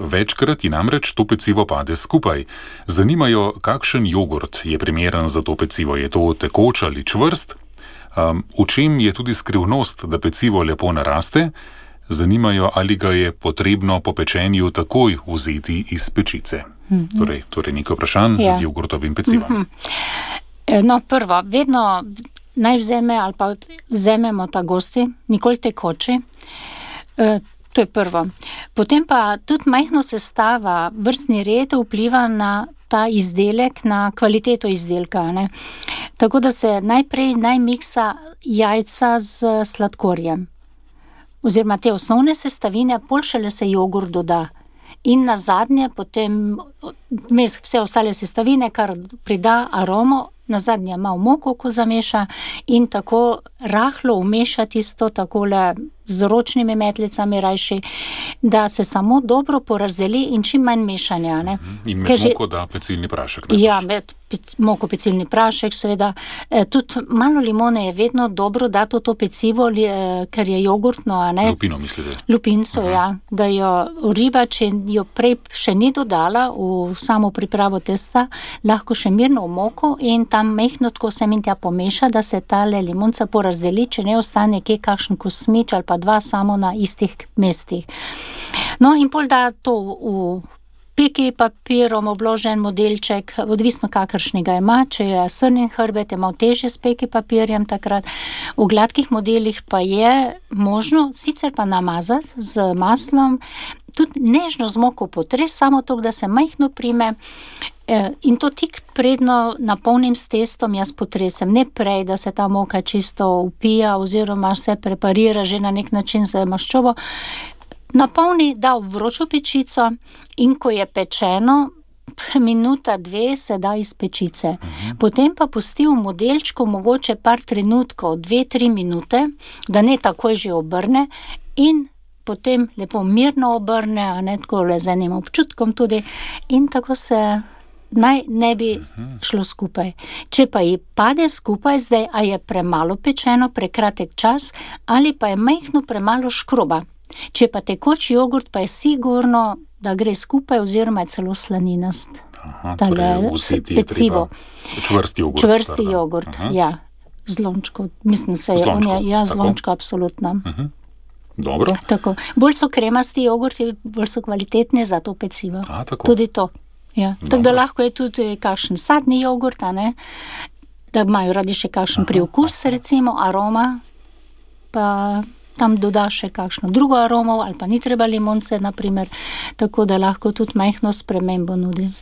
Večkrat ji namreč to pecivo pade skupaj. Zanimajo, kakšen jogurt je primeren za to pecivo. Je to tekoč ali čvrst? V čem je tudi skrivnost, da pecivo lepo naraste? Zanimajo, ali ga je potrebno po pečenju takoj vzeti iz pečice. Torej nekaj vprašanj z jogurtovim pecivom. No, prvo, vedno naj vzememo ta gosti, nikoli tekoči. To je prvo. Potem pa tudi majhno sestava, vrstni red vpliva na ta izdelek, na kvaliteto izdelka, ne. Tako da se najprej miksa jajca z sladkorjem. Oziroma te osnovne sestavine, pol šele se jogurt doda. In nazadnje potem vse ostale sestavine, kar prida aromo, nazadnje malo moko, ko zameša, in tako rahlo umeša tisto takole z ročnimi metlicami rajši, da se samo dobro porazdeli in čim manj mešanja, ne. In med moko da pecilni prašek. Ja, med moko pecilni prašek, seveda. Tudi malo limone je vedno dobro dati v to pecivo, ker je jogurtno, a ne. Lupino mislite? Lupinco, ja. Da jo riba, če jo prej še ni dodala v samo pripravo testa, lahko še mirno v moko in tam mehno tako sem in tja pomeša, da se tale limonca porazdeli, če ne ostane kje kakšen kosmič ali pa dva samo na istih mestih. No, in pol da to v peki papirom obložen modelček, odvisno kakršnega ima, če je srnin hrbet, je malo težje s peki papirjem takrat. V gladkih modelih pa je možno, sicer pa namazati z maslom, tudi nežno z moko potres, samo to, da se majhno prime, in to tik predno napolnim s testom jaz potresem, ne prej, da se ta moka čisto upija oziroma se preparira že na nek način z maščobo. Napolni, da v vročo pečico in ko je pečeno, minuta, dve se da iz pečice. Potem pa pusti v modelčku mogoče par trenutkov, 2-3 minute, da ne takoj že obrne in potem lepo mirno obrne, a ne tako le z enim občutkom tudi in tako se naj ne bi šlo skupaj. Če pa ji pade skupaj zdaj, a je premalo pečeno, prekratek čas ali pa je majhno premalo škroba. Če pa tekoč jogurt, pa je sigurno, da gre skupaj oziroma je celo slaninast. Pecivo. Čvrsti jogurt, ja. Z lončko, mislim se je on, ja, z lončko, absolutno. Dobro. Tako. Bolj so kremasti jogurti, bolj so kvalitetni za to pecivo. Tudi to. Ja. Tako da lahko je tudi kakšen sadni jogurt, a ne? Da imajo radi še kakšen priokus, recimo aroma, pa tam doda še kakšno drugo aromo, ali pa ni treba limonce, naprimer, tako da lahko tudi majhno spremembo nudi.